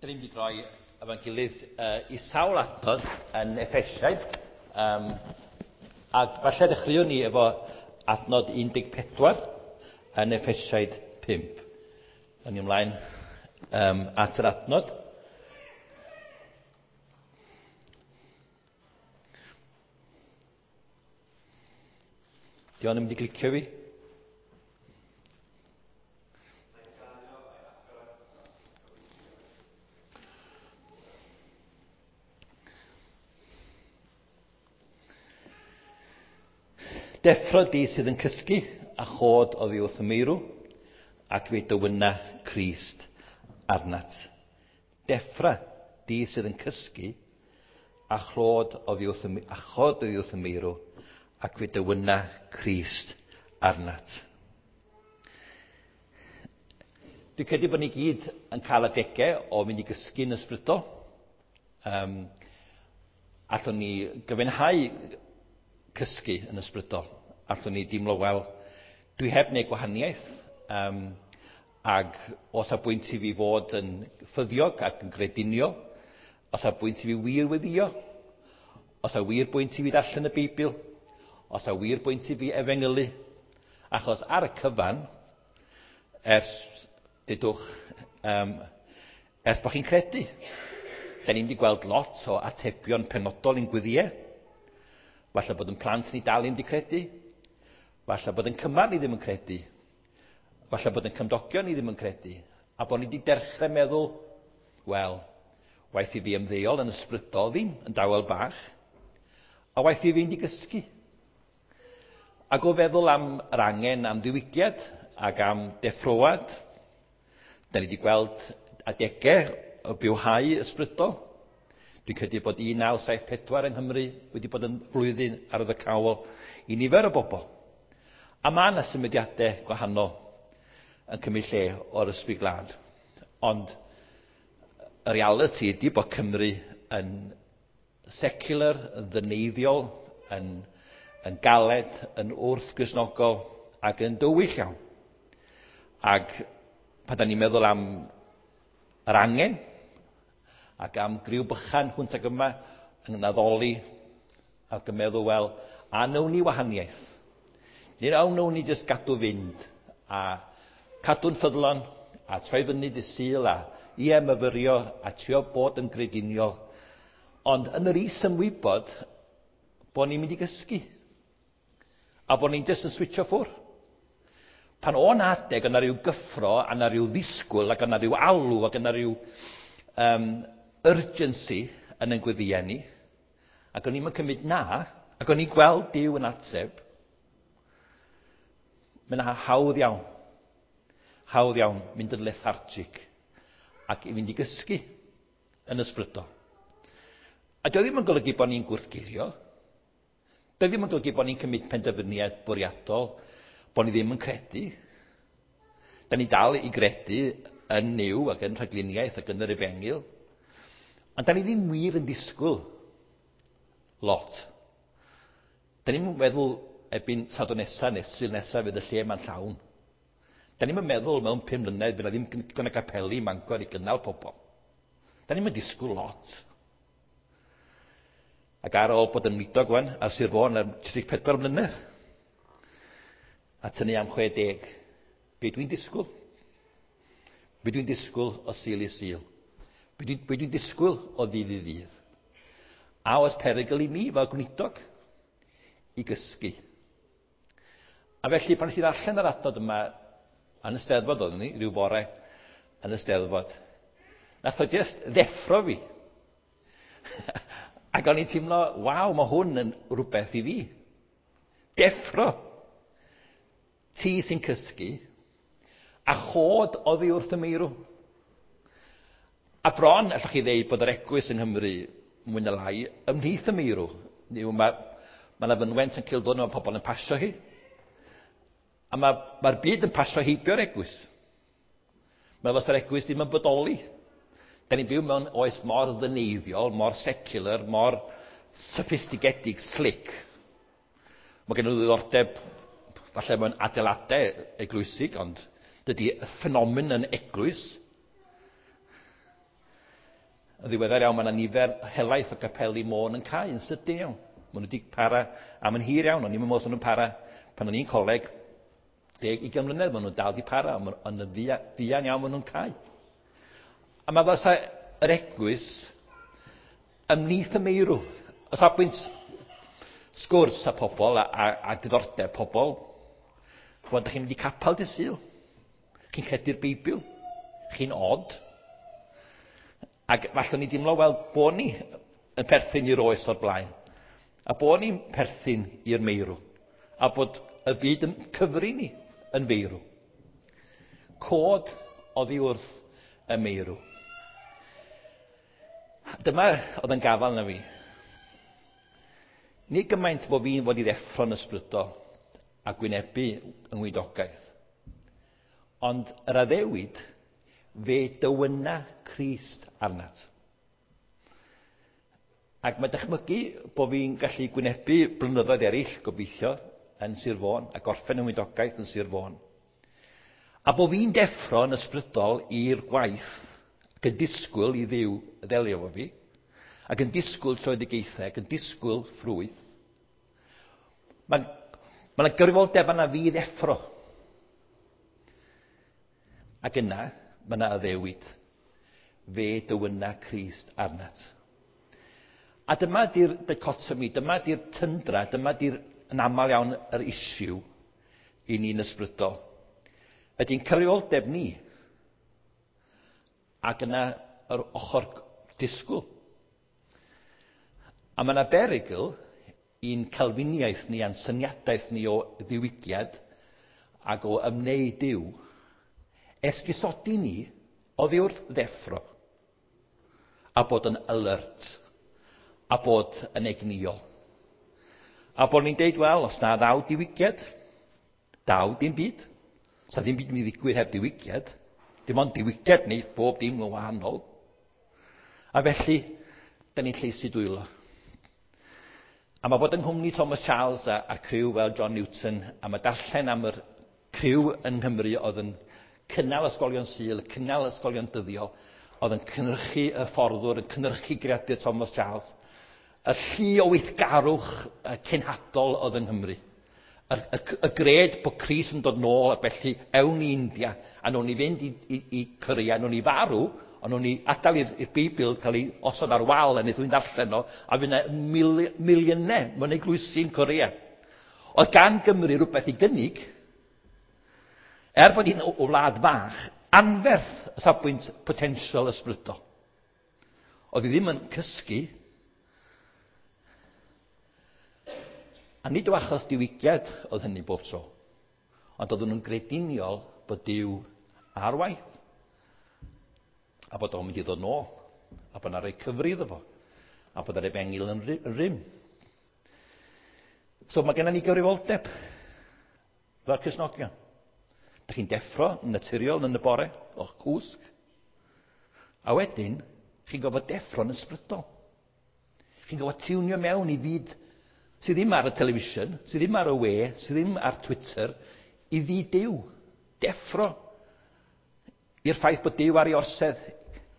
Dyn ni'n mynd i droi efo'n gilydd i sawl adnod yn Effesiaid. Ac falle dechreuwn ni efo adnod 14 yn Effesiaid 5. Yn ymlaen at yr adnod. Di o'n mynd i glicio fi? Deffro di sydd yn cysgu a chod oddi wrth y meirw, ac fe dywyna Crist arnat. Deffra di sydd yn cysgu a chlod oddi wrth y, a chod oddi wrth y meirw, ac fe dywyna Crist arnat. Dwi'n credu bod ni gyd yn cael adegau o fynd i gysgu'n ysbrydol. Allwn ni gyfiawnhau cysgu yn ysbrydol. Allwn ni deimlo, wel, dwi heb wneud gwahaniaeth, ac os a bwynt i fi fod yn ffyddiog ac yn grediniol, os a bwynt i fi wir weddio, os a wir bwynt i fi ddarllen y Beibl, os a wir bwynt i fi efengylu, achos ar y cyfan, ers dudwch, ers bod chi'n credu, da ni'n wedi gweld lot o atebion penodol i'n gweddiau. Falle bod yn plant ni dal ddim wedi credu. Falle bod yn cymar ni ddim yn credu. Falle bod yn cymdogion ni ddim yn credu. A bod ni wedi dechrau meddwl, wel, waeth i fi ymddeol yn ysbrydol ddim, yn dawel bach, a waeth i fi fynd i gysgu. Ac o feddwl am yr angen am ddiwygiad ac am deffroad, da ni wedi gweld adegau o bywhau ysbrydol. Dwi'n credu bod 1974 yng Nghymru wedi bod yn flwyddyn arwyddocaol i nifer o bobl. A mae yna symudiadau gwahanol yn cymryd lle o'r ysbryd glân. Ond y reality ydy bod Cymru yn secular, yn ddyneiddiol, yn galed, yn wrth-Gristnogol ac yn dywyll iawn. Ac pan da ni'n meddwl am yr angen ac am griw bychan hwnt ag yma yn addoli ac yn meddwl, wel, a wnawn ni wahaniaeth? Neu a wnawn ni jyst gadw fynd a cadw'n ffyddlon a troi fyny dy Sul a ie myfyrio a trio bod yn grediniol. Ond yn yr is-ymwybod bod ni'n mynd i gysgu a bod ni'n jyst yn switcho ffwrdd. Pan o'n adeg yna rhyw gyffro, a yna rhyw ddisgwyl, ac yna rhyw alw, ac yna rhyw urgency yn ein gweddiau ni, ac o'n i'n cymryd na, ac o'n i'n gweld Duw yn ateb, mae'n hawdd iawn, hawdd iawn mynd yn lethargic ac i fynd i gysgu yn ysbrydol. A dio ddim yn golygu bod ni'n gwrthgilio, dio ddim yn golygu bod ni'n cymryd penderfyniad bwriadol, bod ni ddim yn credu. Da ni dal i gredu yn Nuw ac yn rhagluniaeth ac yn yr efengyl. Ond da ni ddim wir yn disgwyl lot. Da ni'n meddwl erbyn Sadwrn nesa neu Sul nesa fydd y lle yma'n llawn. Da ni'n meddwl mewn 5 mlynedd fydd 'na ddim digon o gapeli ym Mangor i gynnal pobl. Da ni'n disgwyl lot. Ac ar ôl bod yn weinidog wan ar Sir Fôn am 34 mlynedd, a tynnu am 60, be dwi'n disgwyl? Be dwi'n disgwyl o Sul i Sul? Be dwi'n disgwyl o ddydd i ddydd? A oes perygl i mi fel gweinidog i gysgu? A felly pan nes i ddarllen yr adnod yma yn y Steddfod oeddwn ni, rhyw fore yn y Steddfod, nath o jyst ddeffro fi. Ac o'n i'n teimlo, waw, mae hwn yn rhywbeth i fi. Deffro. Ti sy'n cysgu, a chod oddi wrth y meirw. A bron, allwch chi ddeud bod yr eglwys yng Nghymru mwy na lai ymhlith y meirw. Mae yna fynwent yn Cildwn, mae pobl yn pasio hi. A mae'r byd yn pasio heibio'r eglwys. Mae fel sa'r eglwys ddim yn bodoli. Da ni'n byw mewn oes mor ddyneiddiol, mor secular, mor sophistigedig, slick. Mae gen nhw ddiddordeb falle mewn adeiladau eglwysig, ond dydy y ffenomen yn eglwys. Yn ddiweddar iawn, mae yna nifer helaeth o gapeli Môn yn cau yn sydyn iawn. Maen nhw wedi para am yn hir iawn, ond ni'n meddwl nhw'n para pan o'n i'n coleg 10-20 mlynedd, maen nhw'n dal di para, ond yn fuan iawn maen nhw'n cau. A mae fel yr eglwys ymhlith y meirw. O safbwynt sgwrs a pobl a diddordeb pobl, ch'mod, dych chi'n mynd i capel dydd Sul, chi'n credu'r Beibl, chi'n od. Ac falle ni dimlo, wel, bod ni yn perthyn i'r oes o'r blaen, a bod ni'n perthyn i'r meirw, a bod y byd yn cyfri ni yn feirw. Cod oddi wrth y meirw. Dyma oedd yn gafael na fi. Nid gymaint bod fi'n fod i ddeffro'n ysbrydol a gwynebu yng ngweinidogaeth, ond yr addewid fe dywyna Crist arnat. Ac mae dychmygu bod fi'n gallu gwynebu blynyddoedd eraill, gobeithio, yn Sir Fôn, a gorffen yng ngweinidogaeth yn Sir Fôn. A bod fi'n deffro yn ysbrydol i'r gwaith ac yn disgwyl i Dduw ddelio efo fi, ac yn disgwyl tröedigaethau, ac yn disgwyl ffrwyth. Mae yna gyfrifoldeb yna fi ddeffro. Ac yna, mae yna addewid. Fe dywyna Crist arnat. A dyma di'r dichotomy, dyma di'r tyndra, dyma di'r yn aml iawn yr issue i ni'n ysbrydol. Ydy'n cyfrifoldeb ni, ac yna yr ochr disgwyl. A mae yna berygl i'n Calfiniaeth ni a'n syniadaeth ni o ddiwygiad ac o ymwneud Duw, esgusodi ni oddi wrth ddeffro a bod yn alert a bod yn egnïol. A bod ni'n deud, wel, os na ddaw diwygiad, daw dim byd. Sa ddim byd yn mynd i ddigwydd heb diwygiad. Dim ond diwygiad wneith bob dim yn wahanol. A felly, da ni'n lleisu dwylo. A mae bod yng nghwmni Thomas Charles a'r criw fel John Newton, a mae darllen am yr criw yng Nghymru oedd yn cynnal ysgolion Sul, cynnal ysgolion dyddiol, oedd yn cynhyrchu y fforddwr, yn cynhyrchu greadur Thomas Charles, y llu o weithgarwch cenhadol oedd yng Nghymru. Y gred bod Crist yn dod nôl, a felly ewn i India, a nawn ni fynd i Korea, nawn ni farw, ond nawn ni adael i'r Beibl cael ei osod ar wal a wneith rhywun ddarllen o, a fydd yna miliynau mewn eglwysi yn Korea. Oedd gan Gymru rhywbeth i gynnig, er bod hi'n o wlad fach, anferth o safbwynt potensial ysbrydol. Oedd hi ddim yn cysgu. A nid o achos diwygiad oedd hynny bob tro, ond oedden nhw'n grediniol bod Duw ar waith, a bod o'n mynd i ddod nôl, a bod yna roi cyfri iddo fo, a bod yr efengyl yn rym. So mae gennym ni gyfrifoldeb fel Cristnogion. Dych chi'n deffro yn naturiol yn y bore o'ch cwsg, a wedyn chi'n gorfod deffro'n ysbrydol. Chi'n gorfod tiwnio mewn i fyd sydd ddim ar y television, sydd ddim ar y we, sydd ddim ar Twitter, i fyd Duw. Deffro i'r ffaith bod Duw ar ei orsedd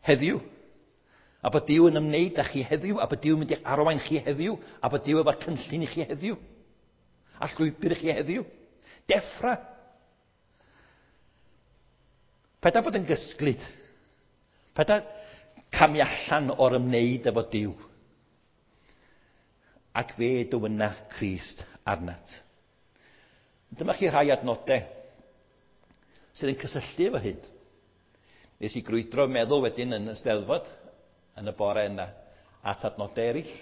heddiw, a bod Duw yn ymwneud â chi heddiw, a bod Duw yn mynd i'ch arwain chi heddiw, a bod Duw efo cynllun i chi heddiw, a llwybr i chi heddiw. Deffra. Paid â bod yn gysglyd. Paid â camu allan o'r ymwneud efo Duw. Ac fe dywyna Crist arnat. Dyma chi rhai adnodau sydd yn cysylltu efo hyn. Nes i grwydro meddwl wedyn yn y Steddfod yn y bore yna at adnodau eraill.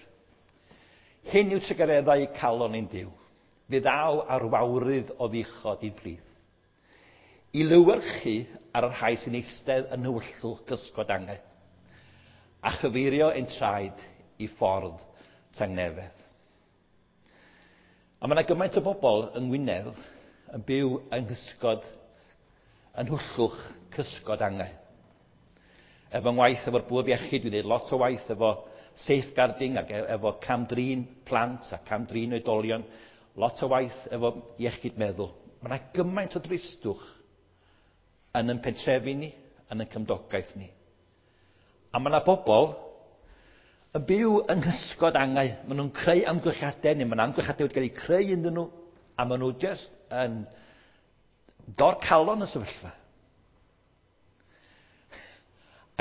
Hyn yw trugareddau calon ein Duw. Fe ddaw ar wawrydd o ddichod i'n plith. I lywyrchu ar y rhai sy'n eistedd yn nhywyllwch cysgod angau, a chyfeirio ein traed i ffordd tangnefedd. A mae yna gymaint o bobl yng Ngwynedd yn byw yng nghysgod, yn nhwllwch cysgod angau. Efo ngwaith efo'r bwrdd iechyd, dwi'n gwneud lot o waith efo safeguarding ac efo cam-drin plant a cam-drin oedolion, lot o waith efo iechyd meddwl. Mae yna gymaint o dristwch yn ein pentrefi ni, yn ein cymdogaeth ni. A mae yna bobl Yn byw yng nghysgod angau. Maen nhw'n creu amgylchiadau, neu mae'n amgylchiadau wedi cael eu creu ynddyn nhw, a maen nhw just yn dor calon y sefyllfa.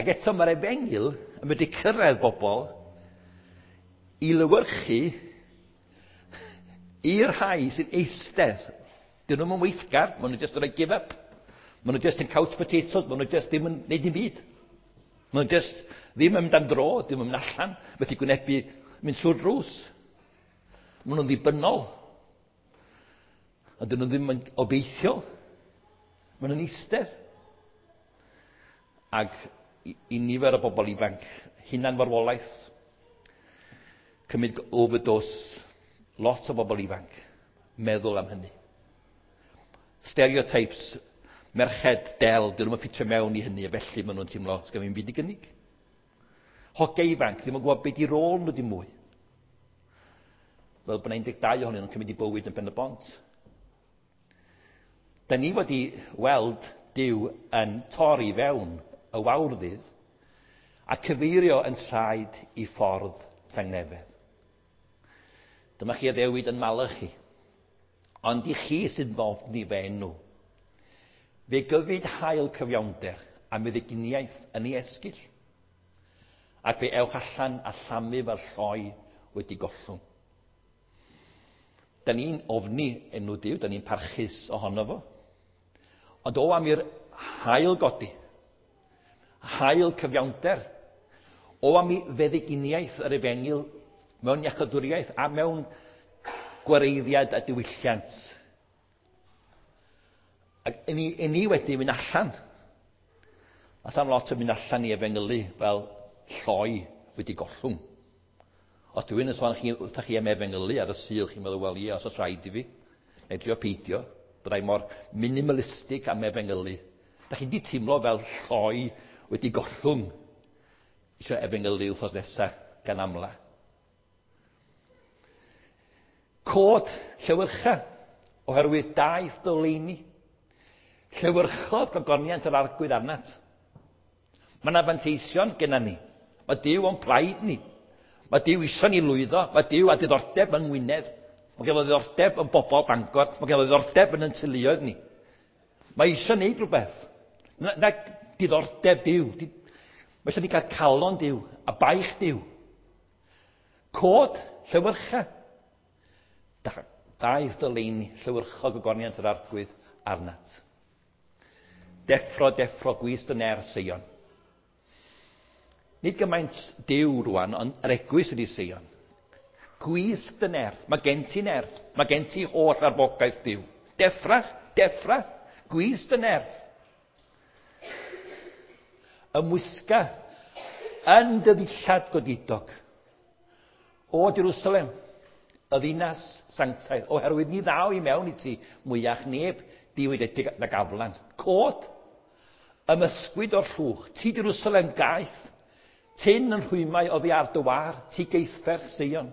Ac eto mae'r efengyl yn mynd i cyrraedd bobl i lywyrchu i'r rhai sy'n eistedd. Dyn nhw'n weithgar, maen nhw just yn rhoi give up. Maen nhw just yn couch potatoes, maen nhw just ddim yn neud dim byd. Maen nhw just ddim yn mynd am dro, ddim yn mynd allan, methu gwynebu mynd trwy'r drws. Maen nhw'n ddibynnol. A dyn nhw ddim yn obeithiol. Maen nhw'n eistedd. Ac i nifer o bobl ifanc, hunan farwolaeth, cymryd overdose, lot o bobl ifanc, meddwl am hynny. Stereotypes, merched del, dyn nhw'n ffitio mewn i hynny, a felly maen nhw'n teimlo, sgan fi'n byd i gynnig. Hogia ifanc, ddim yn gwybod beth i rôl nhw dim mwy. Fel bod 12 ohonyn nhw'n cymryd i bywyd yn Ben y Bont. Da ni wedi weld Duw yn torri fewn y wawrddydd a cyfeirio yn traed i ffordd tangnefedd. Dyma chi addewid yn Malachi. Ond i chi sydd ddofni fe enw. Fe gyfyd hael cyfiawnder a meddyginiaeth yn ei esgyll. Ac fe ewch allan a llamu fel lloi wedi gollwng. Da ni'n ofni enw Duw, da ni'n parchus ohono fo. Ond o am i'r hael godi, hael cyfiawnder, o am i feddyginiaeth yr efengyl mewn iachadwriaeth a mewn gwareiddiad a diwylliant. Ac i ni, i ni wedi mynd allan. A sam lot yn mynd allan i efengylu fel lloi wedi gollwng. Os dwi'n yn sôn chi, wrthych chi am efengylu ar y Sul, chi'n meddwl, wel ie, os oes rhaid i fi, neu drio peidio, byddai mor minimalistig am efengylu. Da chi di teimlo fel lloi wedi gollwng eisiau efengylu wythnos nesaf gan amla. Cod llewyrcha oherwydd daeth doleini. Llewyrchodd gogoniant yr arglwydd arnat. Mae yna fanteision genna ni. Mae Duw o'n plaid ni. Mae Duw isio ni lwyddo. Mae Duw â diddordeb yng Ngwynedd. Mae gen ddiddordeb yn bobl Bangor. Mae gen ddiddordeb yn ein teuluoedd ni. Mae eisiau neud rhywbeth. Na, na diddordeb Duw. Mae eisiau ni gael calon Duw a baich Duw. Cod, llewyrcha. Daeth dyleini, llewyrchog gogoniant yr arglwydd arnat. Deffro, deffro, gwys dy ner, Seion. Nid gymaint Duw rwan, ond yr eglwys ydy Seion. Gwisg dy nerth. Mae gen ti nerth. Mae gen ti holl arfogaeth Duw. Deffra, deffra, gwys dy nerth. Ymwisga yn dy ddillad godidog. O Jerusalem, y ddinas sanctaidd, oherwydd ni ddaw i mewn i ti mwyach neb diwydedig nag aflan. Cod, ymysgwyd o'r llwch, ti Jerusalem gaeth, tyn yn rhwymau oddi ar dy war, ti geithferch Seion.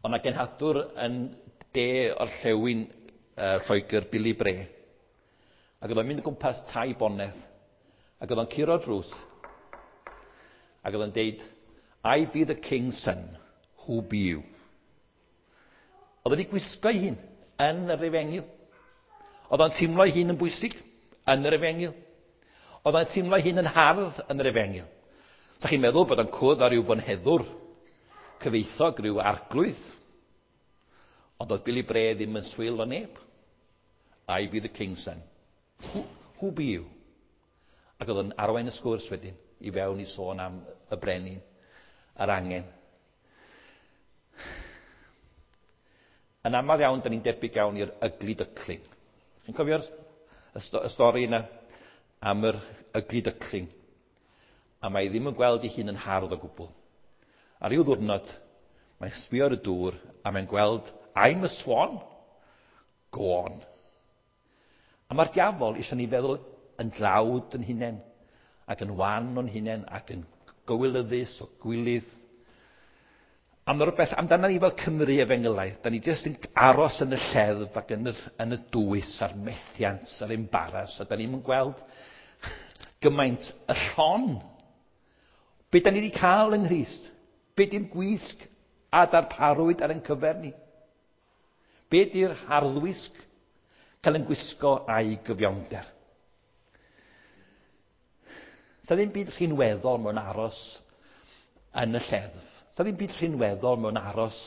Ond na genhadwr yn de orllewin Lloegr, Billy Bray. Ac oedd o'n mynd o gwmpas tai bonedd. Ac oedd o'n curo drws. Ac oedd o'n deud, I be the king's son, who be you? Oedd wedi gwisgo ei hun yn yr efengyl. Oedd o'n teimlo ei hun yn bwysig yn yr efengyl. Oedd o'n teimlo ei hun yn hardd yn yr efengyl. Sa chi'n meddwl bod o'n cwrdd â rhyw fonheddwr cyfeithog, rhyw arglwydd. Ond oedd Billy Bray ddim yn swil o neb. I be the king's son. Who be you? Ac oedd o'n arwain y sgwrs wedyn i fewn i sôn am y brenin a'r angen. Yn aml iawn, da ni'n debyg iawn i'r ugly duckling. Chi'n cofio'r y stori yna am yr ugly duckling? A mae ddim yn gweld ei hun yn hardd o gwbl. Ar ryw ddwrnod, mae'n sbio ar y dŵr a mae'n gweld, I'm a swan, go on. A mae'r diafol eisiau ni feddwl yn dlawd yn hunain, ac yn wan o'n hunain, ac yn gywilyddus o gwilydd. A mae rhywbeth amdano ni fel Cymru efengylaidd, da ni jyst yn aros yn y lleddf ac yn y dwys a'r methiant a'r embaras, a da ni'n gweld gymaint y llon Be da ni wedi cael yng Nghrist? Be di'r gwisg a darparwyd ar ein cyfer ni? Be di'r harddwisg cael yn gwisgo a'i gyfiawnder? Sa ddim byd rhinweddol mewn aros yn y lleddf. Sa ddim byd rhinweddol mewn aros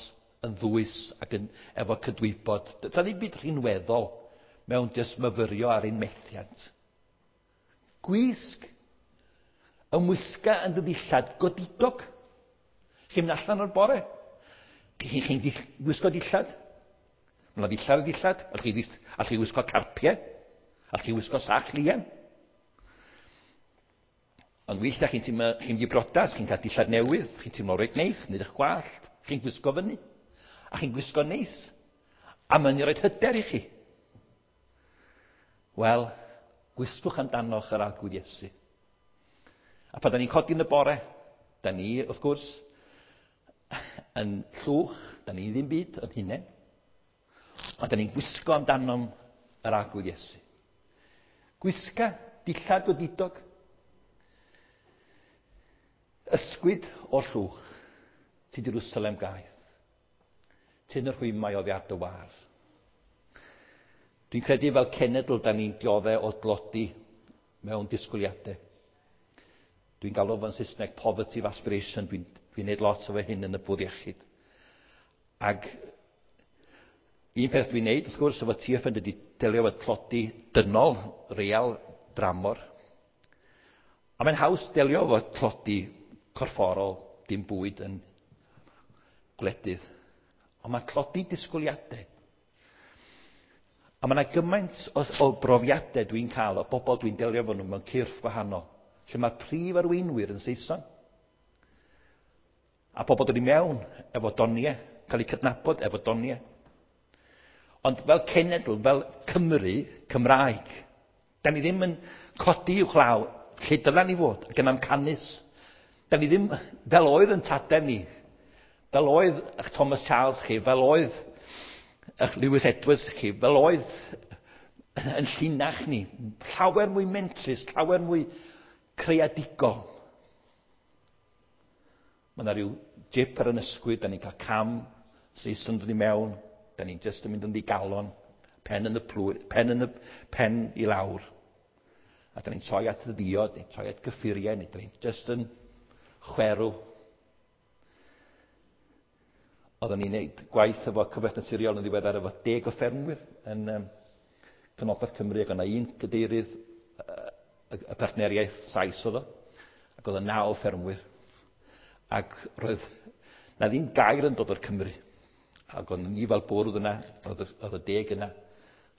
yn ddwys ac yn, efo cydwybod. Sa ddim byd rhinweddol mewn jyst myfyrio ar ein methiant. Gwisg ymwisga yn dy ddillad godidog. Chi'n mynd allan o'r bore. Chi'n gwisgo dillad. Mae yna ddillad a ddillad. Allwch chi wisgo carpiau. Allwch chi wisgo sach lian. Ond weithiau chi'n teimlo, chi'n mynd i brodas, chi'n cael dillad newydd, chi'n teimlo reit neis, nid eich gwallt, chi'n gwisgo fyny. A chi'n gwisgo neis. A mae'n i roed hyder i chi. Wel, gwisgwch amdanoch yr Arglwydd Iesu. A pan da ni'n codi yn y bore, da ni, wrth gwrs, yn llwch, da ni ddim byd yn hunain. Ond da ni'n gwisgo amdanom yr Arglwydd Iesu. Gwisga dillad godidog. Ysgwyd o'r llwch, ti Jerusalem gaeth. Tyn y rhwymau oddi ar dy war. Dwi'n credu fel cenedl da ni'n diodde o dlodi mewn disgwyliadau. Dwi'n galw fo'n Saesneg poverty of aspiration. Dwi'n dwi neud lot o fe hyn yn y bwrdd iechyd. Ac un peth dwi'n neud, wrth gwrs, efo TFN ydy delio efo tlodi dynol, real, dramor. A mae'n haws delio efo tlodi corfforol, dim bwyd yn gwledydd. Ond mae tlodi disgwyliadau. A mae yna gymaint o brofiadau dwi'n cael o bobl dwi'n delio efo nhw mewn cyrff gwahanol, lle mae prif arweinwyr yn Saeson. A pobl dod i mewn efo doniau, cael eu cydnabod efo doniau. Ond fel cenedl, fel Cymru, Cymraeg, da ni ddim yn codi uwchlaw lle dyla ni fod, ac yn amcanus. Da ni ddim, fel oedd yn tadau ni, fel oedd eich Thomas Charles chi, fel oedd eich Lewis Edwards chi, fel oedd yn llinach ni, llawer mwy mentrus, llawer mwy creadigol. Mae yna rhyw jip ar yn ysgwyd, da ni'n cael cam, Saeson dod i mewn, da ni'n just yn mynd yn ddigalon, pen yn y plwy, pen yn y pen i lawr. A da ni'n troi at y ddiod, ni'n troi at gyffuriau, neu da ni'n just yn chwerw. Oedden ni'n neud gwaith efo Cyfoeth Naturiol yn ddiweddar efo 10 o ffermwyr yn Canolbarth Cymru, ac o'na un cadeirydd y partneriaeth Sais oedd o, ac oedd 9 o ffermwyr. Ac roedd na ddim gair yn dod o'r Cymru. Ac o'n ni fel bwrdd yna, oedd y 10 yna.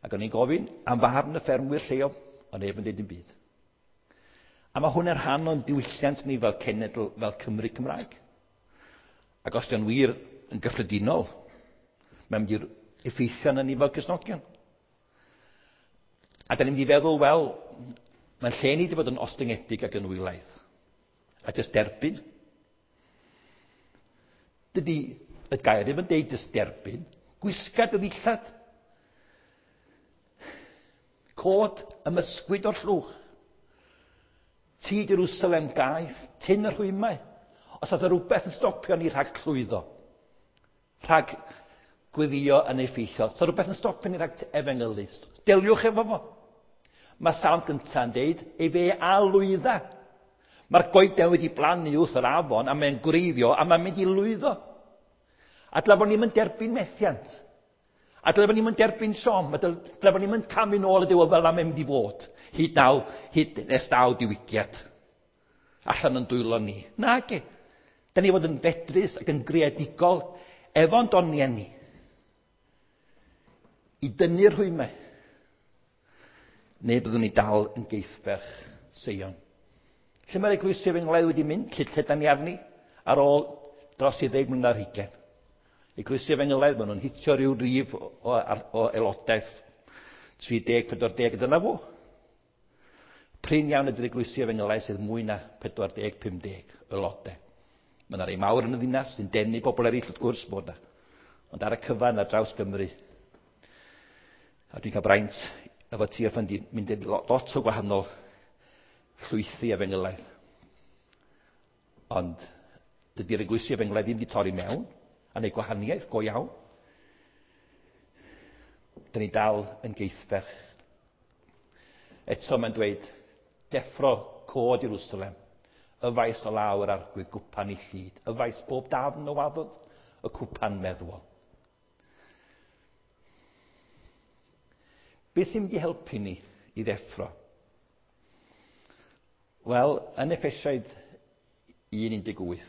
Ac o'n i'n gofyn am farn y ffermwyr lleol, ond neb yn dweud dim byd. A mae hwn yn rhan o'n diwylliant ni fel cenedl, fel Cymru Cymraeg. Ac os dio'n wir yn gyffredinol, mae'n mynd i'r effeithio arnon ni fel Cristnogion. A da ni'n mynd i feddwl, wel, mae'n lle ni wedi bod yn ostyngedig ac yn wylaidd. A jyst derbyn. Dydy y gair ddim yn deud jyst derbyn. Gwisga dy ddillad. Cod ymysgwyd o'r llwch. Ti Jerusalem gaeth, tyn y rhwymau. Os oedd rhywbeth yn stopio ni rhag llwyddo, rhag gweddio yn effeithiol, os oedd rhywbeth yn stopio ni rhag efengylu, deliwch efo fo. Mae Salm gyntaf yn deud, ei fe a lwydda. Mae'r goeden wedi blannu wrth yr afon a mae'n gwreiddio a mae'n mynd i lwyddo. A dyle bod ni'n mynd derbyn methiant. A dyle bod ni'n mynd derbyn siom. A dyle bod ni'n mynd camu nôl y diwedd fel am mynd i fod. Hyd naw, hyd nes daw diwygiad. Allan yn dwylo ni. Nage. Da ni fod yn fedrus ac yn greadigol efo'n doniau ni. I dynnu'r rhwymau. Neu byddwn ni dal yn geithferch Seion. Lle mae'r eglwysi efengylaidd wedi mynd, lle da ni arni, ar ôl dros i 10 mlynedd ar hugain. Eglwysi efengylaidd, maen nhw'n hitio rhyw rif o aelodaeth 30, 40, dyna fo. Prin iawn ydy'r eglwysi efengylaidd sydd mwy na 40, 50 aelodau. Mae yna rei mawr yn y ddinas sy'n denu bobl eraill wrth gwrs bod yna. Ond ar y cyfan ar draws Gymru. A dwi'n cael braint efo TFN di mynd i lot o gwahanol llwythi efengylaidd. Ond dydy'r eglwysi efengylaidd ddim wedi torri mewn a wneud gwahaniaeth go iawn. Dyn ni dal yn geithferch. Eto mae'n dweud, deffro cod Jerusalem, y faes o lawr ar arglwydd gwpan i llid, y faes bob dafn o waddod, y cwpan meddwol. Beth sy'n mynd i helpu ni i ddeffro? Wel, yn Effesiaid 1.18,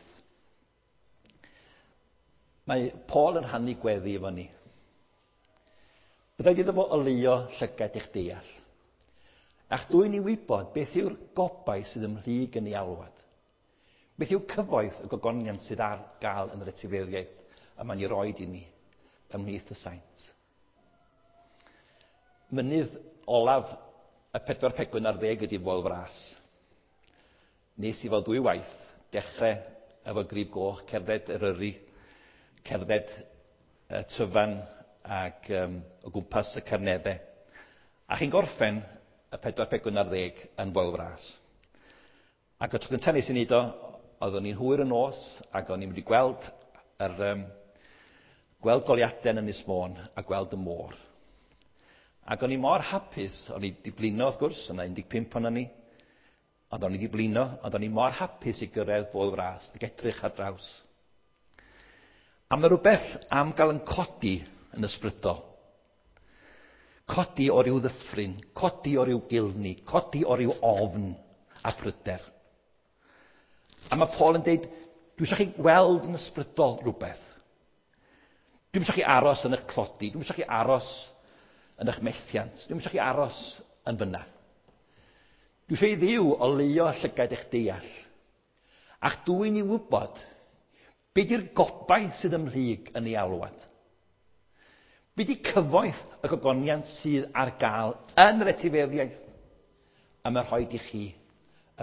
mae Paul yn rhannu gweddi efo ni. Byddai iddo fo oleuo llygad eich deall. A'ch dwyn i wybod beth yw'r gobaith sydd ymhlyg yn ei alwad. Beth yw cyfoeth y gogoniant sydd ar gael yn yr etifeddiaeth y mae'n ei roed i ni ymhlith y saint. Mynydd olaf y 4 pegwn ar 10 ydy Foel Fras. Nes i fel dwy waith dechrau efo Grib Goch, cerdded Eryri, cerdded y Tryfan ac o gwmpas y Carneddau. A chi'n gorffen y 4 pegwn ar 10 yn Foel Fras. Ac y tro cyntaf nes i wneud o, oeddwn i'n hwyr y nos ac o'n i'n mynd i gweld yr, gweld goliadau yn Ynys Môn a gweld y môr. Ac o'n i mor hapus, o'n i wedi blino wrth gwrs, yna 15 o'n ni, ond o'n i wedi blino, ond o'n i mor hapus i gyrraedd Foel Fras ac edrych ar draws. A mae rhywbeth am gael yn codi yn ysbrydol. Codi o ryw ddyffryn, codi o ryw gilni, codi o ryw ofn a pryder. A mae Paul yn dweud, dwi eisiau chi weld yn ysbrydol rhywbeth. Dwi'n eisiau chi aros yn eich clodi, dwi'n eisiau chi aros yn eich methiant, dwi'n eisiau chi aros yn fyna. Dwi eisiau i Dduw oleuo llygaid eich deall, a'ch dwyn i wybod be di'r gobaith sydd ymhlyg yn ei alwad. Be di cyfoeth y gogoniant sydd ar gael yn yr etifeddiaeth a mae rhaid i chi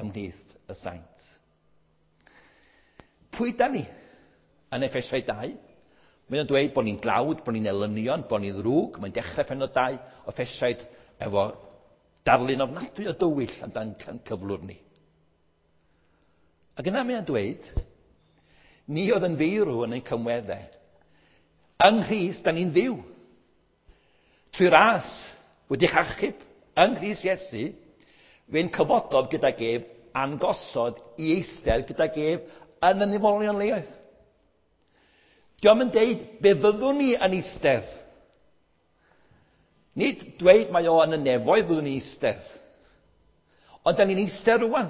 ymhlith y saint. Pwy da ni? Yn Effesiau 2, mae o'n dweud bod ni'n dlawd, bod ni'n elynion, bod ni'n ddrwg. Mae'n dechrau pennod 2 o Effesiaid efo darlun ofnadwy o dywyll amdan cyflwr ni. Ac yna mae o'n dweud, ni oedd yn feirw yn ein cymweddau. Yng Nghrist, da ni'n fyw. Trwy ras wedi'ch achub yng Nghrist Iesu, fe'n cyfododd gydag ef a'n gosod i eistedd gydag ef yn y nefolion leoedd. Dio'm yn deud be fyddwn ni yn eistedd. Nid dweud mae o yn y nefoedd fyddwn ni'n eistedd. Ond da ni'n eistedd rwan.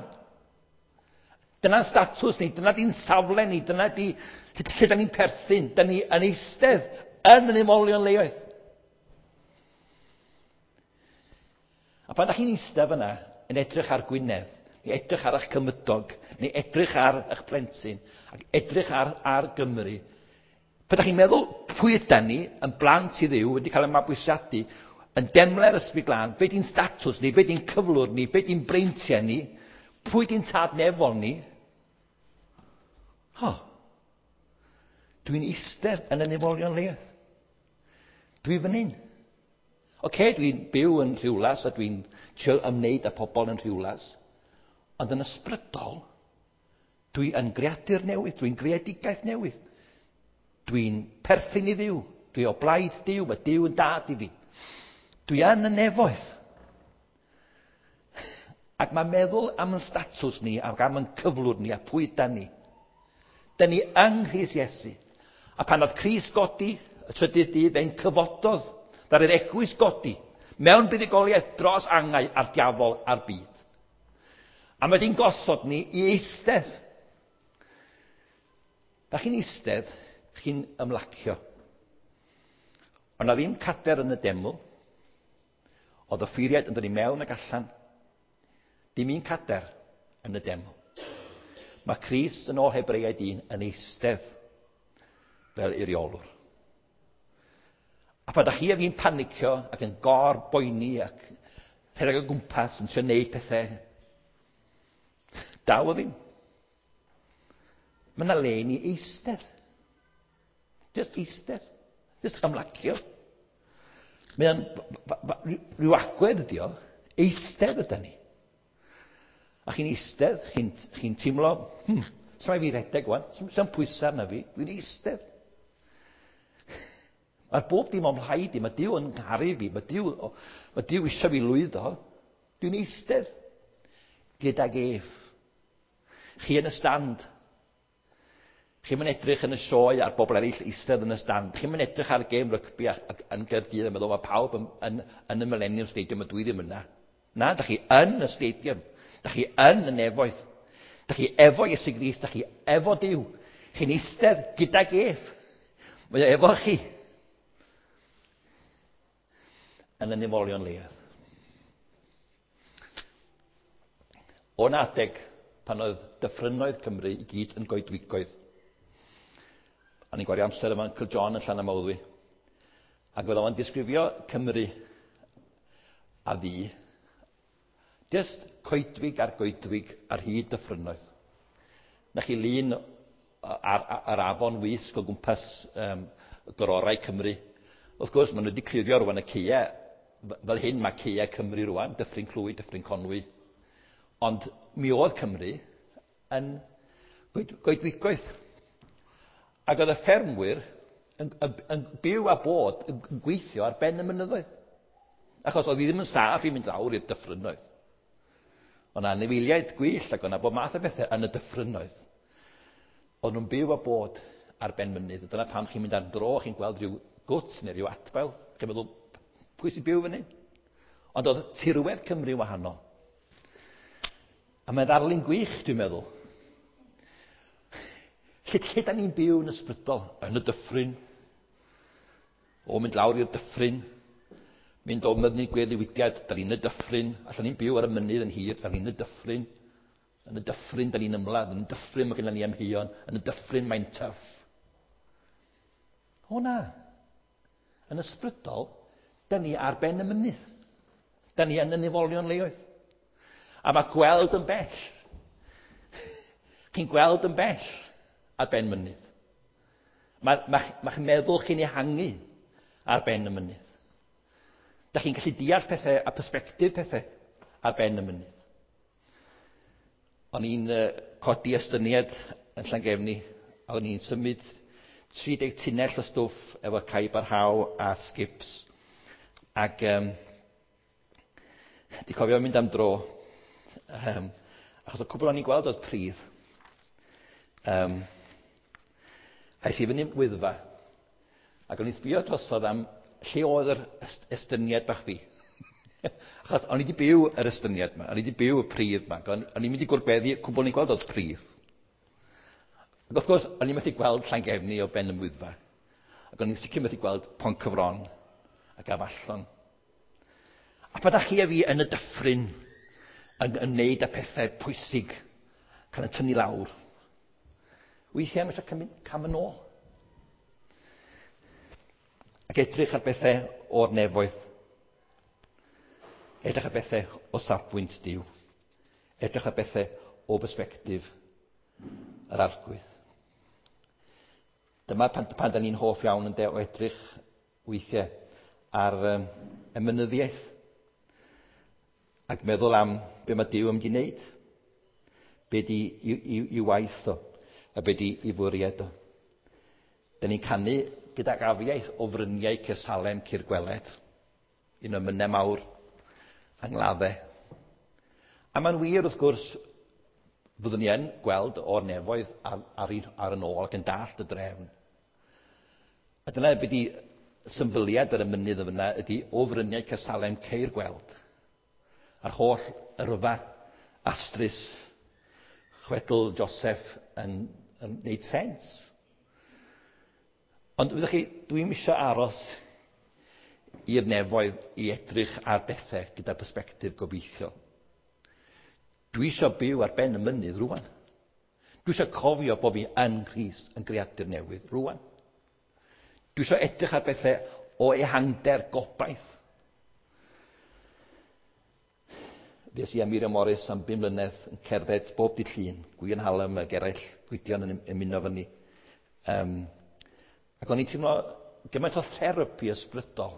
Dyna'n statws ni, dyna di'n safle ni, dyna di lle da ni'n perthyn. Da ni yn eistedd yn y nefolion leoedd. A pan da chi'n eistedd fyna yn edrych ar Gwynedd, neu edrych ar eich cymydog, neu edrych ar eich plentyn, ac edrych ar Gymru, pan da chi'n meddwl pwy ydan ni, yn blant i Dduw, wedi cael eu mabwysiadu, yn demle'r Ysbryd Glân, be di'n statws ni, be di'n cyflwr ni, be di'n breintiau ni, pwy di'n tad nefol ni? Ho, dwi'n eistedd yn y nefolion leoedd. Dwi fan hyn. Oce, dwi'n byw yn Rhiwlas a dwi'n trio ymwneud â pobl yn Rhiwlas, ond yn ysbrydol, dwi yn greadur newydd, dwi'n greadigaeth newydd. Dwi'n perthyn i Dduw, dwi o blaid Duw, mae Duw yn dad i fi. Dwi yn y nefoedd. Ac mae meddwl am yn statws ni ac am yn cyflwr ni a pwy da ni. Da ni yng Nghrist Iesu. A pan oedd Crist godi y trydydd dydd, fe'n cyfododd ddaru'r eglwys godi mewn buddugoliaeth dros angau a'r diafol a'r byd. A mae di'n gosod ni i eistedd. Da chi'n eistedd, chi'n ymlacio. Ond na ddim cader yn y deml. Oedd y ffeiriaid yn dod i mewn ac allan. Dim un cader yn y deml. Mae Crist yn ôl Hebreaid 1 yn eistedd fel eiriolwr. A pan da chi a fi'n panicio ac yn gor-boeni ac rhedeg o gwmpas yn trio neud pethau, daw o ddim. Mae yna le i ni eistedd. Just eistedd. Just ymlacio. Mae o'n rhyw agwedd ydi o. Eistedd yda ni. A chi'n eistedd, chi'n teimlo, Sa'm rhaid fi redeg wan. Sa'm pwysau arna fi. Dwi'n eistedd. Mae'r bob dim o'm rhaid i. Mae Duw yn ngharu fi. Mae Duw, mae Duw eisiau fi lwyddo. Dwi'n eistedd gydag ef. Chi yn y stand. Chi'n mynd edrych yn y sioe ar bobl eraill eistedd yn y stand. Chi'n mynd edrych ar gêm rygbi yn Gaerdydd a meddwl mae pawb yn y Millennium Stadium a dwi ddim yna. Na, da chi yn y stadium. Da chi yn y nefoedd. Da chi efo Iesu Grist, da chi efo Duw. Chi'n eistedd gydag ef. Mae o efo chi. Yn y nefolion leoedd. O'n adeg pan oedd dyffrynnoedd Cymru i gyd yn goedwigoedd. O'n i'n gwario amser efo Uncle John yn Llanymawddwy. Ac oedd o'n disgrifio Cymru a fi. Just coedwig ar goedwig ar hyd dyffrynnoedd. Na chi lun ar afon Wysg o gwmpas gororau Cymru. Wrth gwrs, maen nhw wedi clirio rwan y ceia. Fel hyn mae ceia Cymru rwan, Dyffryn Clwyd, Dyffryn Conwy. Ond mi oedd Cymru yn goedwigoedd. Ac oedd y ffermwyr yn byw a bod yn gweithio ar ben y mynyddoedd. Achos oedd hi ddim yn saff i mynd lawr i'r dyffrynnoedd. Oedd 'na anifeiliaid gwyllt ac oedd 'na bob math o bethau yn y dyffrynnoedd. Oedd nhw'n byw a bod ar ben mynydd. Dyna pam chi'n mynd ar dro, chi'n gweld rhyw gwt neu rhyw adfail. Chi'n meddwl, pwy sy'n byw fyny? Ond oedd tirwedd Cymru wahanol. A mae'n ddarlun gwych, dwi'n meddwl. Lle da ni'n byw yn ysbrydol? Yn y dyffryn. O, mynd lawr i'r dyffryn. Mynd o mynydd gweddnewidiad, da ni'n y dyffryn. Allan ni'n byw ar y mynydd yn hir, da ni'n y dyffryn. Yn y dyffryn, da ni'n ymladd. Yn y dyffryn mae gennym ni amheuon. Yn y dyffryn mae'n tough. O na. Yn ysbrydol, da ni ar ben y mynydd. Da ni yn y nefolion leoedd. A mae gweld yn bell. Chi'n gweld yn bell ar ben mynydd. Mae'ch meddwl chi'n ehangu ar ben y mynydd. Da chi'n gallu deall pethau a persbectif pethau ar ben y mynydd. O'n i'n codi estyniad yn Llangefni, a o'n i'n symud 30 tunnell o stwff efo caib ar haw a skips. Ac di cofio mynd am dro. Achos y cwbl o'n i'n gweld oedd pridd. Aeth i fyny Wyddfa, ac o'n i'n sbio drosodd am lle oedd yr estyniad bach fi. Achos o'n i wedi byw yr estyniad yma, o'n i wedi byw y pridd yma, o'n i'n mynd i gwrbeddu, cwbl o'n i'n gweld oedd pridd. Ac wrth gwrs, o'n i'n methu gweld Llangefni o ben y Wyddfa. Ac o'n i'n sicr methu gweld Poncyfron ac Afallon. A pan da chi a fi yn y dyffryn yn ymwneud â pethau pwysig, cael y tynnu lawr, weithiau mae eisiau cymryd cam yn ôl. Ac edrych ar bethau o'r nefoedd. Edrych ar bethau o safbwynt Duw. Edrych ar bethau o bersbectif yr Arglwydd. Dyma pan da ni'n hoff iawn yn de o edrych weithiau ar y mynyddiaeth. Ac meddwl am be mae Duw yn mynd i wneud. Be di i waith o, a be di i fwriad o. Da ni'n canu gydag afiaith o fryniau Caersalem Cur Gweled. Un o'r mynnau mawr angladdau. A mae'n wir, wrth gwrs, fyddwn ni yn gweld o'r nefoedd ar yn ôl ac yn dallt y drefn. A dyna be di symbyliad ar y mynydd yna ydy o fryniau Caersalem ceir gweld. A'r holl yrfa astrus chwedl Joseph yn gwneud sens. Ond wyddoch chi, dwi'm isio aros i'r nefoedd i edrych ar bethau gyda persbectif gobeithiol. Dwi isio byw ar ben y mynydd rwan. Dwi isio cofio bod fi yn Nghrist yn greadur newydd rwan. Dwi isio edrych ar bethau o ehangder gobaith. Fues i a Miriam Morris am 5 mlynedd yn cerdded bob dydd Llun, Gwion Hallam ac eraill, Gwydion yn ymuno fyny. Ac o'n i'n teimlo gymaint o therapi ysbrydol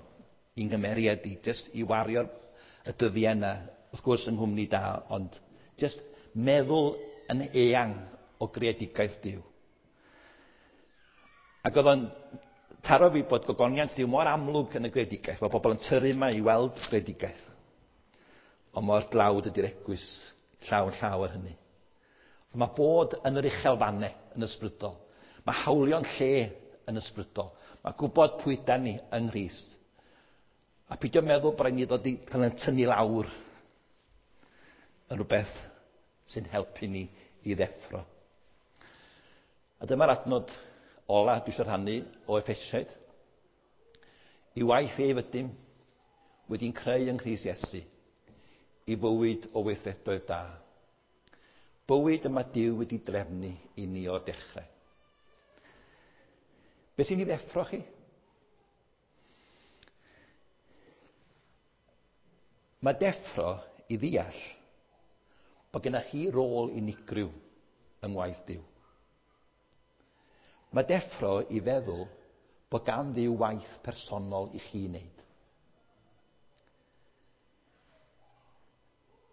i'n nghymeriad i, jyst i wario'r y dyddiau yna, wrth gwrs yng nghwmni da, ond jyst meddwl yn eang o greadigaeth Duw. Ac oedd o'n taro fi bod gogoniant Duw mor amlwg yn y greadigaeth, mae pobl yn tyrru yma i weld greadigaeth. Ond mor dlawd ydy'r eglwys llaw yn llaw ar hynny. Mae bod yn yr uchelfannau yn ysbrydol. Mae hawlio'n lle yn ysbrydol. Mae gwybod pwy da ni yng Nghrist. A peidio meddwl bod rhaid ni ddod i cael ein tynnu lawr yn rhywbeth sy'n helpu ni i ddeffro. A dyma'r adnod ola dwi eisiau rhannu o Effesiaid. I waith ef ydym wedi'n creu yng Nghrist Iesu i fywyd o weithredoedd da. Bywyd yma Duw wedi drefnu i ni o'r dechrau. Beth sy'n ei ddeffro chi? Mae deffro i ddeall bod gennych chi rôl unigryw yng ngwaith Duw. Mae deffro i feddwl bod gan Dduw waith personol i chi wneud.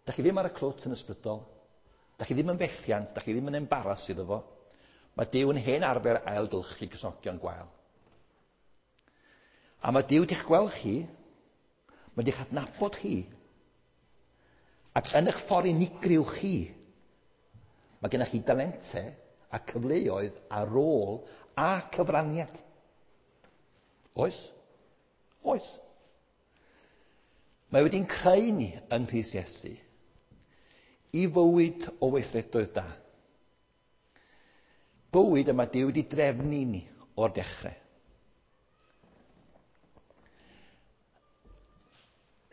Da chi ddim ar y clwt yn ysbrydol. Da chi ddim yn fethiant, da chi ddim yn embaras iddo fo. Mae Duw yn hen arfer ailgylchu Cristnogion gwael. A mae Duw wedi'ch gweld chi, mae wedi'ch adnabod chi, ac yn eich ffordd unigryw chi, mae gennych chi dalentau a cyfleoedd a rôl a cyfraniad. Oes? Oes. Mae wedi'n creu ni yng Nghrist Iesu i fywyd o weithredoedd da. Bywyd yma Duw wedi drefnu ni o'r dechrau.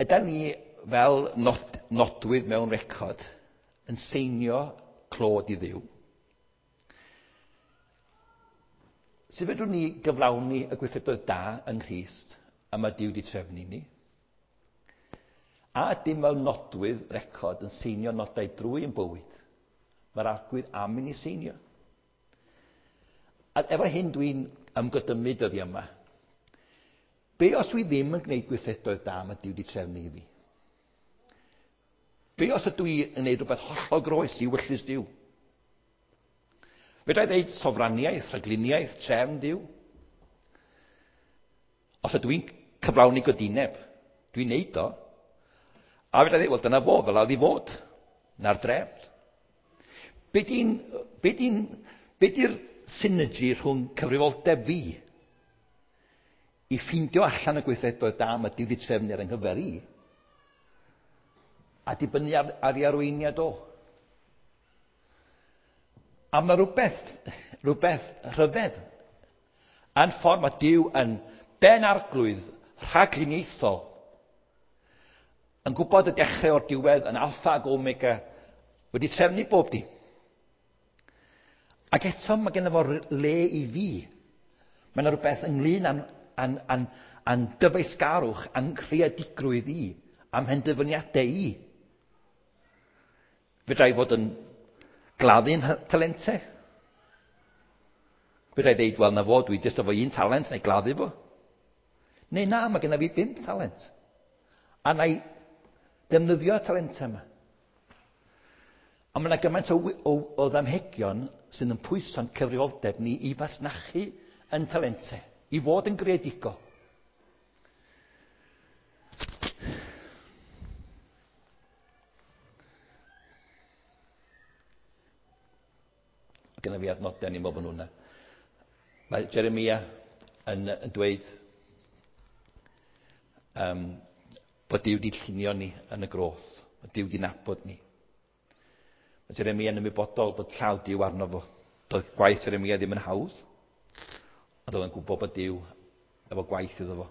Ydan ni fel nodwydd mewn record yn seinio clod i Dduw? Sut fedrwn ni gyflawni y gweithredoedd da yng Nghrist a mae Duw wedi trefnu ni? A ydym fel nodwydd record yn seinio nodau drwy ein bywyd? Mae'r Arglwydd am i ni seinio. A efo hyn dwi'n ymgydymu dyddiau yma. Be os dwi ddim yn gwneud gweithredoedd da mae Duw wedi trefnu i fi? Be os ydw i yn gwneud rhywbeth hollol groes i ewyllys Duw? Fedra i ddeud sofraniaeth, rhagluniaeth, trefn Duw? Os ydw i'n cyflawni godineb, dwi'n neud o. A fedra i ddeud, wel dyna fo, fel oedd i fod. Na'r drefn. Be di'n, be di'n, be di'r synergy rhwng cyfrifoldeb fi i ffeindio allan y gweithredoedd da mae Duw wedi trefnu ar yng nghyfer i, a dibynnu ar ei arweiniad o? A mae rhywbeth rhyfedd yn ffordd mae Duw yn ben arglwydd rhagluniaethol, yn gwybod y dechrau o'r diwedd, yn alffa ac omega, wedi trefnu bob dim. Ac eto mae genno fo le i fi. Mae yna rhywbeth ynglyn â'n dyfeisgarwch, â'n creadigrwydd i, a'm mhenderfyniadau i. Fedra i fod yn gladdu'n talentau. Fedra i ddeud, wel na fo, dwi jyst efo un talent, neu gladdu fo. Neu na, mae genna fi 5 talent. A na i defnyddio'r talentau yma. Ond mae yna gymaint o ddamhegion sydd yn pwyso'n cyfrifoldeb ni i fasnachu yn talentau, i fod yn greadigol. Mae genna fi adnodau, ni'n meddwl bod nhw'n yna. Mae Jeremia yn dweud bod Duw wedi llunio ni yn y groth, bod Duw wedi nabod ni. Mae Jeremia yn ymwybodol bod llaw Duw arno fo. Doedd gwaith Jeremia ddim yn hawdd, ond oedd yn gwybod bod Duw efo gwaith iddo fo.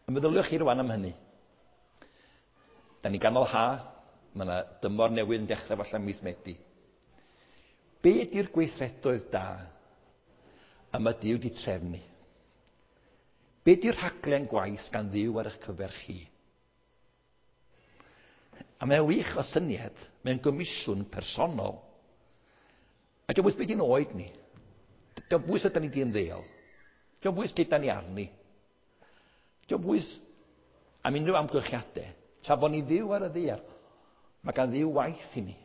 A meddyliwch chi rwan am hynny. Da ni ganol ha, mae yna dymor newydd yn dechrau falle mis Medi. Be ydy'r gweithredoedd da a mae Duw wedi trefnu? Be ydy'r rhaglen gwaith gan Dduw ar eich cyfer chi? A mae'n wych o syniad, mae'n gomisiwn personol. A diolch bwys beth i'n oed ni. Diolch bwys ydyn ni di ymddeol. Diolch bwys lle da ni arni. Diolch bwys am unrhyw amgylchiadau. Tra bod ni fyw ar y ddaear, mae gan Dduw waith i ni.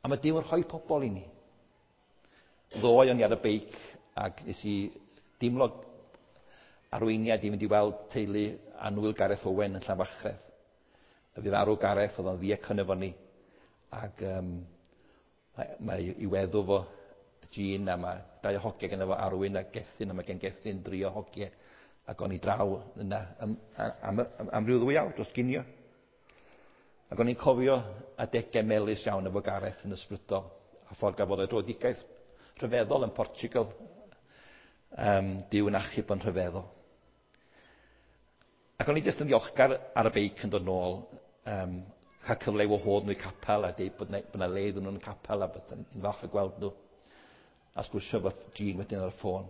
A mae Duw yn rhoi pobl i ni. Ddoe o'n i ar y beic ac nes i dimlo arweiniad i fynd i weld teulu annwyl Gareth Owen yn Llanfachreth. A fu farw Gareth, oedd o'n ddiacon efo ni. Ac mae i weddw fo, Jean, a mae 2 o hogiau gyda fo, Arwyn a Gethin, a mae gen Gethin 3 o hogiau. Ac o'n i draw yna am ryw 2 awr dros ginio. Ac o'n i'n cofio adegau melys iawn efo Gareth yn ysbrydol, a ffordd gafodd ei dröedigaeth rhyfeddol yn Portugal. Duw yn achub yn rhyfeddol. Ac o'n i jyst yn ddiolchgar ar y beic yn dod nôl, cael cyfle i wahodd nhw i capel a deud bod 'na le iddyn nhw yn y capel a bod ni'n falch o gweld nhw. A sgwrsio efo Jean wedyn ar y ffôn.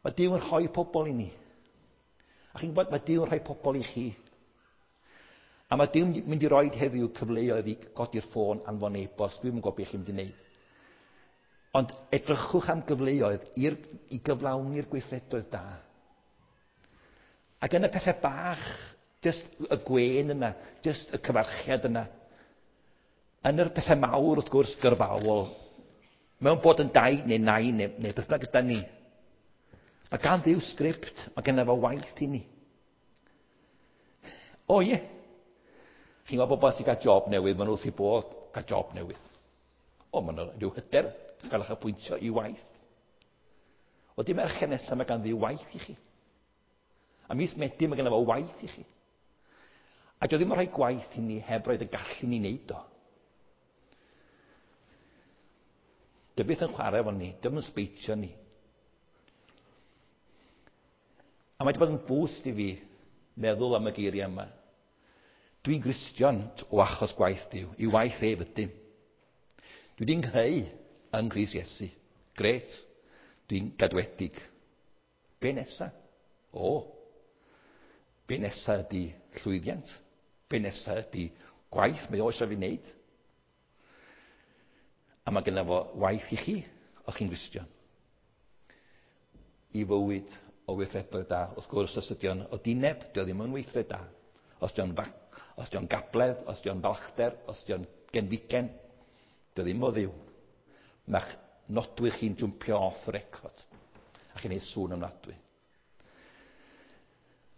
Mae Duw yn rhoi pobl i ni. A chi'n gwybod, mae Duw yn rhoi pobl i chi. A mae Duw yn mynd i roi heddiw cyfleoedd i godi'r ffôn, anfon e-bost, dwi'm yn gwybod beth chi'n mynd i wneud. Ond edrychwch am gyfleoedd i gyflawni'r gweithredoedd da. Ac yn y pethau bach, jyst y gwên yna, jyst y cyfarchiad yna. Yn yr pethau mawr, wrth gwrs, gyrfaol, mewn bod yn daid neu nain neu beth bynnag ydan ni. Mae gan Dduw sgript, mae genna fo waith i ni. O ie. Chi'n gweld bobl sy'n cael job newydd, maen nhw wrth eu bodd cael job newydd. O, maen nhw rhyw hyder gael eich apwyntio i waith. O, dim Mercher nesaf mae gan Dduw waith i chi. A mis Medi mae genna fo waith i chi. A dio ddim yn rhoi gwaith i ni heb roed y gallu ni wneud o. Dio byth yn chwarae efo ni, dio ddim yn sbeitio ni. A mae wedi bod yn boost i fi meddwl am y geiriau yma. Dwi'n Gristion o achos gwaith Duw, i waith ef ydym. Dwi wedi'n nghreu yng Nghrist Iesu. Grêt. Dwi'n gadwedig. Be nesa? O, be nesa ydy llwyddiant? Be nesa ydy gwaith mae o eisiau fi wneud? A mae genna fo waith i chi, os chi'n Gristion. I fywyd o weithredoedd da. Wrth gwrs, os ydy o'n odineb, dio ddim yn weithred da. Os ydy o'n gabledd, os ydy o'n balchder, os ydy o'n genfigen, dio ddim o Dduw. Mae'ch nodwydd chi'n jwmpio off y record. A chi'n neud sŵn ofnadwy.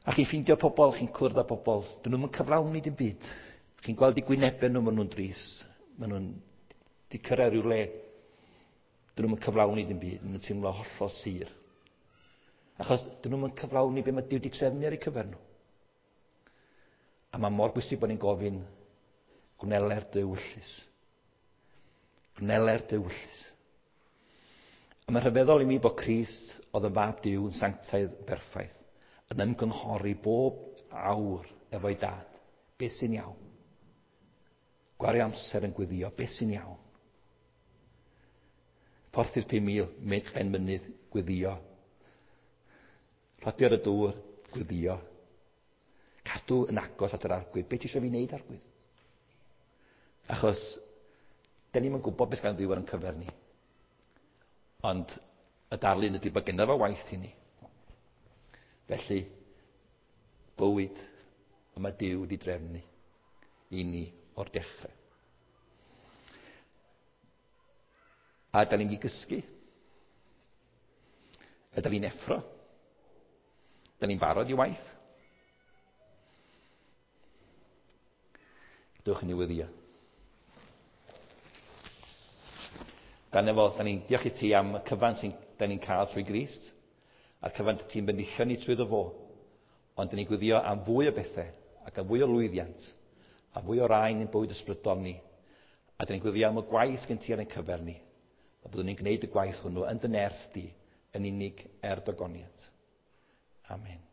A chi'n ffeindio pobl, chi'n cwrdd â pobl, dyn nhw'm yn cyflawni dim byd. Chi'n gweld eu gwynebau nhw, maen nhw'n drist. Maen nhw'n di cyrraedd rhyw le. Dyn nhw'm yn cyflawni dim byd, maen nhw'n teimlo hollol sur. Achos dyn nhw'm yn cyflawni be mae Duw wedi trefnu ar eu cyfer nhw. A mae mor bwysig bod ni'n gofyn, gwneler dy ewyllys. Gwneler dy ewyllys. A mae'n rhyfeddol i mi bod Crist oedd yn fab Duw yn sanctaidd berffaith, yn ymgynghori bob awr efo'i dad. Beth sy'n iawn? Gwario amser yn gweddio, beth sy'n iawn? Porthi'r 5,000, mynd ben mynydd, gweddio. Rhodio ar y dŵr, gweddio. Cadw yn agos at yr Arglwydd. Be ti eisiau fi wneud, Arglwydd? Achos, da ni'm yn gwybod beth gan Dduw ar ein cyfer ni. Ond y darlun ydy bod genna fo waith i ni. Felly, bywyd y mae Duw wedi drefnu i ni o'r dechrau. A da ni'n mynd i gysgu. A da ni'n effro. Da ni'n barod i waith. Dewch i ni weddïo. Dan efo, da ni'n diolch i ti am y cyfan sy'n da ni'n cael trwy Grist, a'r cyfan ti'n bendithio ni trwy fo. Ond da ni'n gweddio am fwy o bethau, ac am fwy o lwyddiant, a fwy o raen i'n bywyd ysbrydol ni. A da ni'n gweddio am y gwaith gen ti ar ein cyfer ni, a byddwn ni'n gwneud y gwaith hwnnw yn dy nerth di, yn unig er dogoniant. Amen.